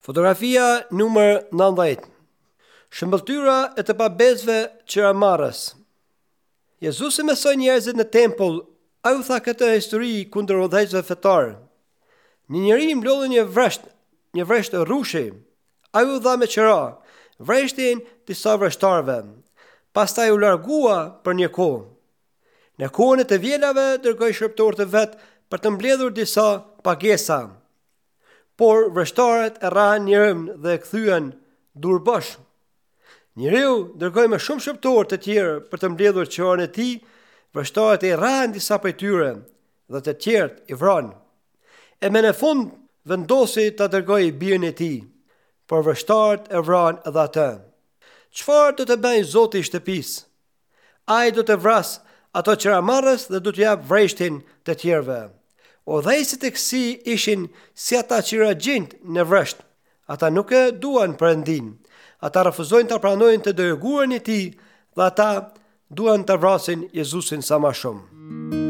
Fotografia numër 19. Shëmbëlltyra e të pabesëve qiramarrës. Jezusi mësoi njerëzit në tempull, ai u tha këtë histori kundër udhëheqësve fetarë. Një njeri mblodhi një vresht, një vresht rrushi. Ai u dha me qira vreshtin disa vreshtarëve. Pastaj u largua për një kohë. Në kohën e të vjelave dërgoi shërbëtorët e vet për të mbledhur disa pagesa. Por vreshtarët e rrahën njërin dhe e kthyen duarbosh. Njeriu dërgoi më shumë shërbëtorë të tjerë për të mbledhur qiranë e tij, vreshtarët i rrahën disa prej tyre dhe të tjerët i vranë. E më në fund vendosi ta dërgojë birin e tij, por vreshtarët e vranë edhe atë. Çfarë do të bëjë zoti i shtëpisë? Ai do të vrasë ato qiramarrës dhe do t'u japë vreshtin të tjerëve. Udhëheqësit e kësij ishin si ata qiraxhinjtë në vresht. Ata nuk e duan Perëndinë. Ata refuzojnë ta pranojnë të dërguarin e tij dhe ata duan ta vrasin Jezusin sa më shumë.